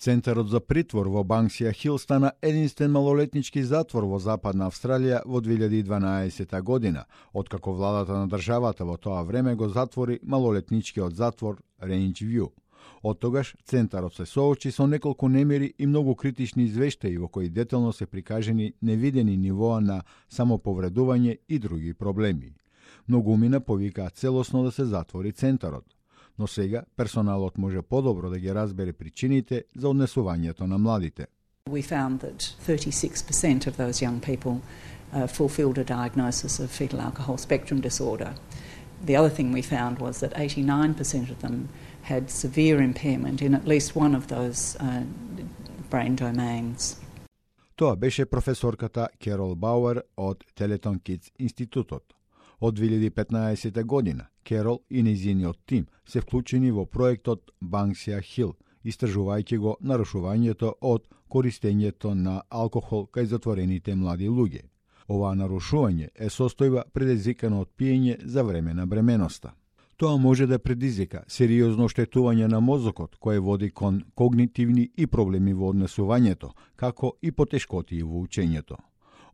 Центарот за притвор во Банксија Хил стана единствен малолетнички затвор во Западна Австралија во 2012 година, откако владата на државата во тоа време го затвори малолетничкиот затвор Range View. Од тогаш, Центарот се соочи со неколку немири и многу критични извештаи во кои детално се прикажени невидени нивоа на самоповредување и други проблеми. Многумина повикаа целосно да се затвори Центарот. Но сега персоналот може подобро да ги разбере причините за однесувањето на младите. We found that 36% of those young people fulfilled a diagnosis of fetal alcohol spectrum disorder. The other thing we found was that 89% of them had severe impairment in at least one of those brain domains. Тоа беше професорката Керол Бауер од Телетон Кидс институтот. Од 2015 година Керол и нејзиниот тим се вклучени во проектот Банксија Хил, истражувајќи го нарушувањето од користењето на алкохол кај затворените млади луѓе. Оваа нарушување е состојба предизвикана од пиење за време на бременоста. Тоа може да предизвика сериозно оштетување на мозокот, кое води кон когнитивни и проблеми во однесувањето, како и потешкотии во учењето.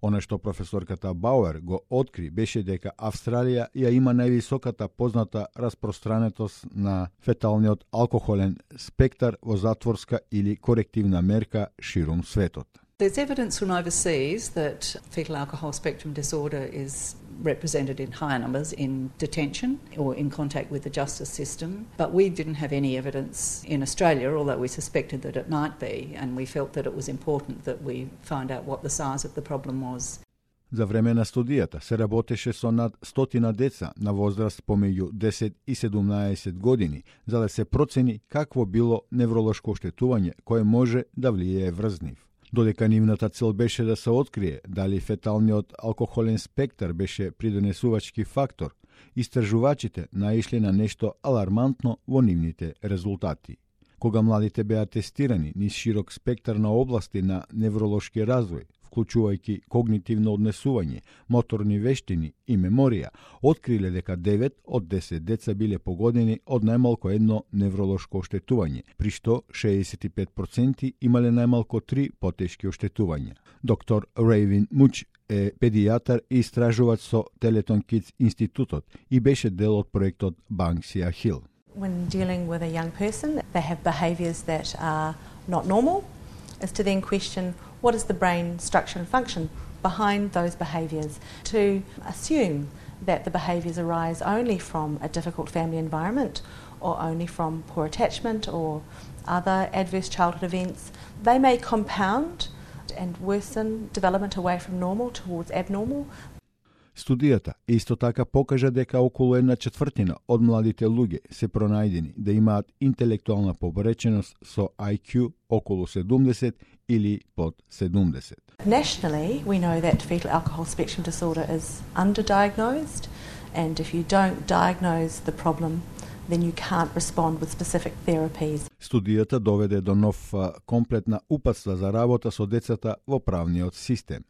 Она што професорката Бауер го откри беше дека Австралија ја има највисоката позната распространетост на феталниот алкохолен спектар во затворска или корективна мерка ширум светот. There's evidence from overseas that fetal alcohol spectrum disorder is represented in higher numbers in detention or in contact with the justice system, but we didn't have any evidence in Australia, although we suspected that it might be, and we felt that it was important that we find out what the size of the problem was. За време на студијата се работеше со над 100 деца на возраст помеѓу 10 и 17 години, за да се процени какво било невролошко оштетување кое може да влијае врз нив. Додека нивната цел беше да се открие дали феталниот алкохолен спектар беше придонесувачки фактор, истражувачите наишли на нешто алармантно во нивните резултати. Кога младите беа тестирани низ широк спектар на области на невролошки развој, вклучувајќи когнитивно однесување, моторни вештини и меморија, откриле дека 9 од 10 деца биле погодени од најмалку едно невролошко оштетување, при што 65% имале најмалку 3 потешки оштетувања. Доктор Рейвин Муч е педијатар и истражувач со Телетон Кидс институтот и беше дел од проектот Банксија Хил. When dealing with a young person, they have behaviours that are not normal, is to then question what is the brain structure and function behind those behaviours, to assume that the behaviours arise only from a difficult family environment or only from poor attachment or other adverse childhood events. They may compound and worsen development away from normal towards abnormal. Студијата исто така покажа дека околу 1/4 од младите луѓе се пронајдени да имаат интелектуална побореченост со IQ околу 70 или под 70. Nationally, we know that fetal alcohol spectrum disorder is underdiagnosed, and if you don't diagnose the problem, then you can't respond with specific therapies. Студијата доведе до нов комплетна упатства за работа со децата во правниот систем.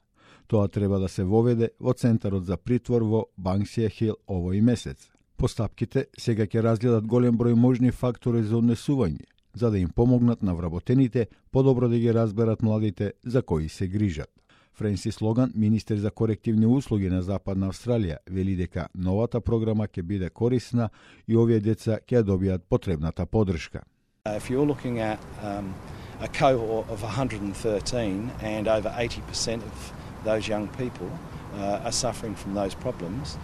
Тоа треба да се воведе во Центарот за притвор во Банксија Хил овој месец. Постапките сега ќе разгледат голем број можни фактори за однесување, за да им помогнат на вработените подобро да ги разберат младите за кои се грижат. Френсис Логан, министер за корективни услуги на Западна Австралија, вели дека новата програма ќе биде корисна и овие деца ќе добијат потребната поддршка. If you're looking at a cohort of 113 and over 80% of those young people are suffering from those problems,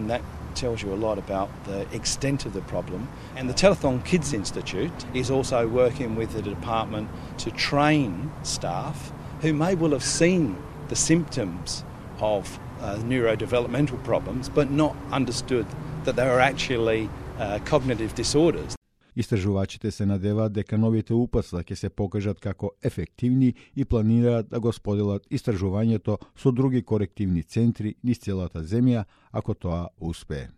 that tells you a lot about the extent of the problem. And the Telethon Kids Institute is also working with the department to train staff who may well have seen the symptoms of neurodevelopmental problems but not understood that they were actually cognitive disorders. Истражувачите се надеваат дека новите упатства ќе се покажат како ефективни и планираат да го споделат истражувањето со други корективни центри низ целата земја, ако тоа успее.